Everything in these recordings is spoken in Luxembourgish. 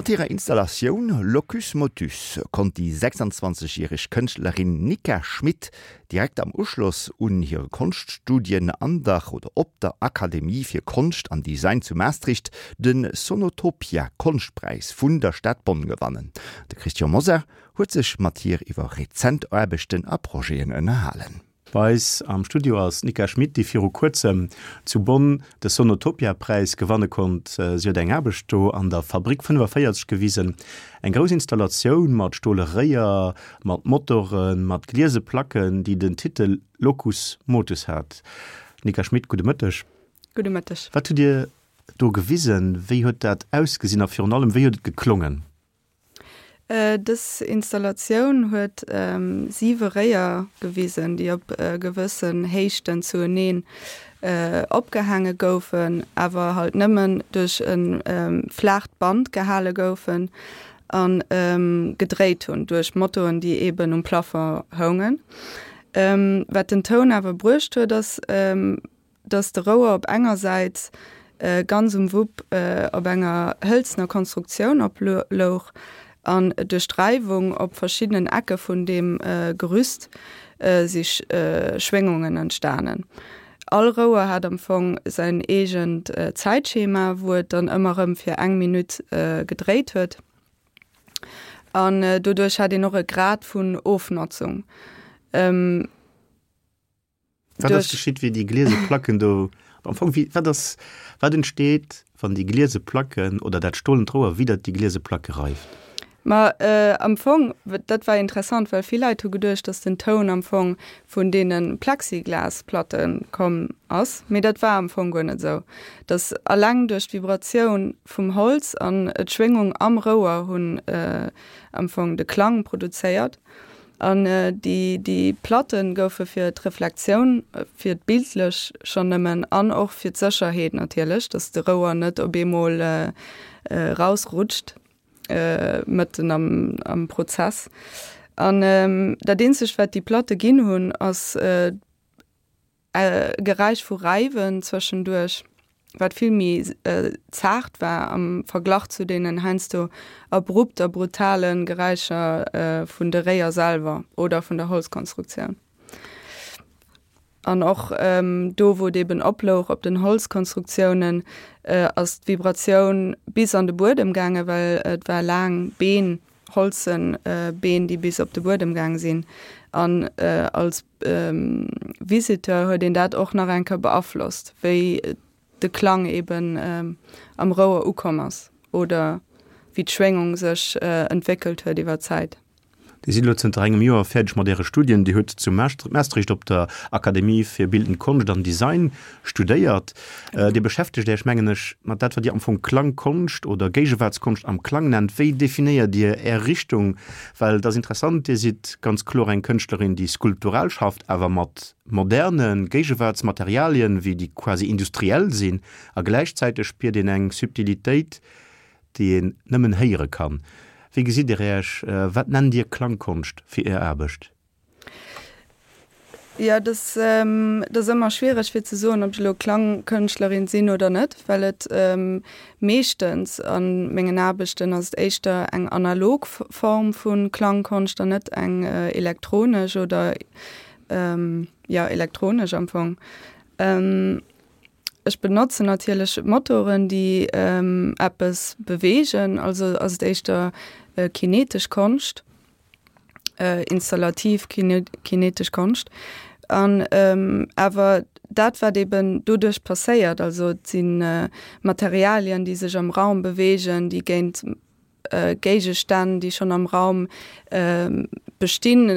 Mat hirer Installatioun Locus Motus konnt déi 26 järeg Kënschtlerin Nika Schmit direkt am Uschloss un hire Konschtstudien an der oder op der Akademie fir Konscht an Design zu Maastricht de Sonotopia Konschtpräis vun der Stad Bonn gewannen. De Christian Mosar huet sech mat hir iwwer rezent Aarbechten a Projeten ënnerhalen. Bei eis am Studio ass d'Nika Schmit, déi viru kuerzem zu Bonn de Sonotopia-Präis gewanne konnt. Si huet eng Aarbecht do an der Fabrik 45 gewisen. Eng grouss Installatioun mat stole Réier, mat Motoren, mat gliese Placken, déi den Titel Locus Motus hat. Nika Schmit, gudde Mëtteg. Gudde Mëtteg. Wat hutt Dir do gewisen? Wéi huet dat ausgesinn a virun allem, wéi huet et geklongen? Dës Installatioun huet siwe Réier gewisen, déi op gewëssen Héichten zueneen opgehaange goufen, awer halt nëmmen duerch e flaacht Band gehale goufen a gedréit hunn duerch Motoren, déi eeben um Plafond houngen. Wat den Toun awer bruecht huet, ass, dass de Rouer op enger Säit ganz um Wupp op enger hëlzener Konstruktioun oplouch an duerch d'Räiwung op verschiddenen Ecke vun deem Gerüst si Schwéngungen entstanen. All Rouer hat am Fong säin eegent Zäitschema, wou et dann ëmmer erëm fir eng Minutt gedréit huet. An doduerch hat een och e Grad vun Ofnotzung. Wat ass geschitt, wéi déi gliese Placken do am Fong, wéi, wat ass, wat entsteet, wann déi gliese Placken oder dat stolent Rouer widder déi gliese Placke reift? Ma am Fong, dat war interessant, well vill Leit hu geduecht, datt den Toun am Fong vun deene Plexiglasplatte komm ass, mee dat war am Fong guer net esou. Datt alleng duerch d'Vibratioun vum Holz an d'Schwéngung am Rouer hunn am Fong de Klang produzéiert. An déi, déi Platte goufe fir d'Reflektioun, fir d'bildlech schonn nëmmen an och fir d'Sécherheet natierlech, datt de Rouer net op eemol erausrutscht mëtten am, am Prozess. An dat eenzegt, wat déi Platte ginn hunn, ass, Geräisch vu Räiwen zwëschenduerch, wat vill méi zaart war am Verglach zu deenen heiansdo abrupt a brutale Geräischer vun de Réier selwer oder vun der Holzkonstruktioun. An och do, wou et eben oplouch op den Holzkonstruktiounen, ass d'Vibratioun bis an de Buedem gaangen, well et war laang Been holzen Been, déi bis op de Buedem gaang sinn. An als Visiteur huet een dat och nach eng Kéier beaflosst, wéi de Klang eben am Rouer ukomm ass oder wéi d'Schwéngung sech entwéckelt huet iwwer d'Zäit. Dir sidd elo zënter engem Joer fäerdeg mat Äre Studien. Dir hutt zu Maastricht op der Akademie fir bildend Konscht an Design studéiert. Dir beschäftegt Äech, mengen ech, mat dat, wat Dir am Fong Klangkonscht oder Géigewaartskonscht am Klang nennt. Wéi definéiert Dir Är Richtung? Well et ass interessant, Dir sidd ganz kloer eng Kënschtlerin, déi skulptural schafft, awer mat moderne Géigewaartsmaterialien, wéi déi quasi industriell sinn, a gläichzäiteg spiert een eng Subtilitéit, déi een nëmmen héiere kann. Wéi gesitt Dir Äech? Wat nennt Dir Klangkonscht fir Är Aarbecht? Jo, dat ass ëmmer schwiereg fir ze soen, ob ech elo Klangkënschtlerin sinn oder net, well et meeschtens a mengen Aarbechten ass et éischter eng analog Form vu Klangkonscht an net eng elektronesch oder jo elektronesch am Fong. Ech benotzen natierlech Motoren, déi eppes beweegen, also ass et éischter kinetesch Konscht. installativ kinetesch Konscht. An awer dat wat eben doduerch passéiert, also et si Materialien, déi sech am Raum beweegen, déi géint Géigestänn, déi schonn am Raum bestinn,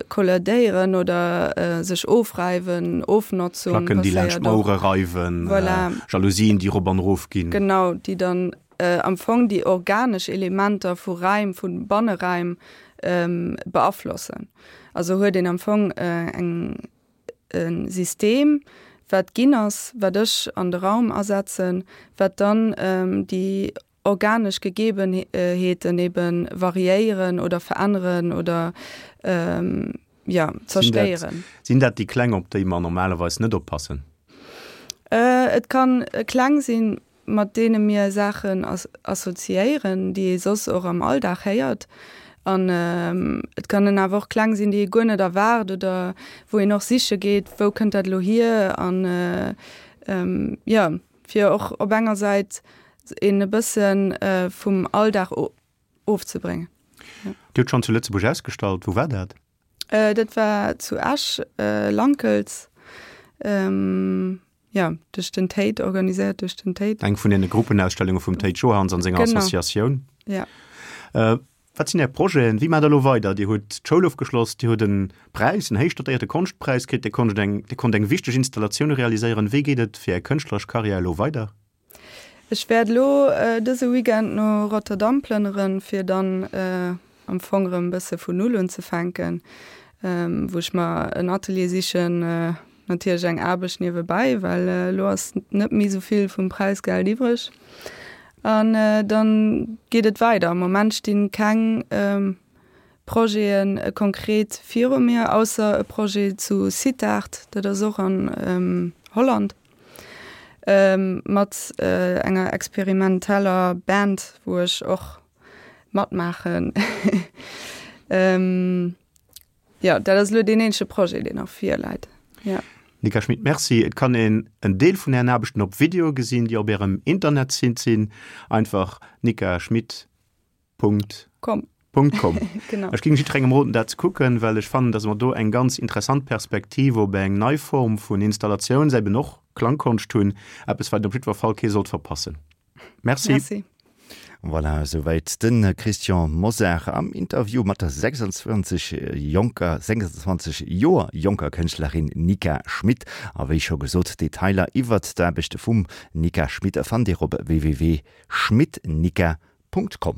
kollidéieren oder sech ofräiwen, Ofnotzung Placken, déi laanscht d'Mauere reiwen, voilà. Jalousien, déi erop an erof ginn. Genau, déi dann am Fong déi organesch Elementer vu Räim, vu Banneräim beaflossen. Also huet een am Fong eng e System, wat ginn ass, wat ech an de Raum asetzen, wat dann déi organesch Gegebenheeten ebe variéieren oder veränneren oder jo zerstéieren. Sinn dat déi Kläng, op déi mer normalerweis net oppassen? Et kann kleng sinn. mat deene mir Saachen assoziéieren, déi ee soss och am Alldag héiert. An et kënnen awer och Kläng sinn, déi ee guer net erwaart oder wou een och siche geet, wou kënnt dat elo hier? An jo, fir och op enger Säit een e bësse vum Alldag ofzebréngen. Dir hutt schonn zu Lëtzebuerg ausgestallt. Wou war dat? Dat war zu Esch, Lankels. Jo, duerch den Tate, organiséiert duerch den Tate. Eng vun deene Gruppenausstellunge vum Tate Johans an senger Associatioun. Genau, ja. Wat sinn Är Projeten? Wéi maacht Der elo weider? Dir hutt d'Schoul ofgeschloss, Dir hutt e Präis, en héich dotéierte Konschtpräis kritt, Dir konnt eng, Dir konnt eng wichteg Installatioun realiséieren. Wéi geet et fir Är kënschtleresch Karriär elo weider? Ech wäert elo dëse Weekend no Rotterdam plënneren, fir dann am Fong erëm e bësse vun Null unzefänken, wou ech mer en Atelier sichen, natierlech eng Aarbecht niewebäi, well elo ass net méi esou vill vum Präisgeld iwwreg. An dann geet et weider. Am Moment sti keng Projete konkret viru mir, ausser e Projet zu Sittard, dat ass och an Holland. Mat enger experimenteller Band, wou ech och matmaachen. Jo, dat ass elo deen eenzege Projet, deen nach virläit. Jo. Nika Schmit, Merci. Et kann een en Deel vun Ären Aarbechten op Video gesinn, déi op Ärem Internetsite sinn. Einfach Nika Schmit. Punkt. Com. Punkt com. Genau. Ech géing jidderengem roden, dat ze kucken, well ech fannen, dass mer do eng ganz interessant Perspektiv op eng nei Form vun Installatiouns, eben och Klangkonscht hunn. Eppes, wat een op jiddwer Fall kee sollt verpassen. Merci. Merci. Voilà, esouwäit de Christian Mosar am Interview mat der 26 jonker, 26 Joer jonker Kënschtlerin Nika Schmit. A wéi scho gesot, Detailer iwwert d'Aarbechte vum Nika Schmit fannt Dir op www.schmitnika.com.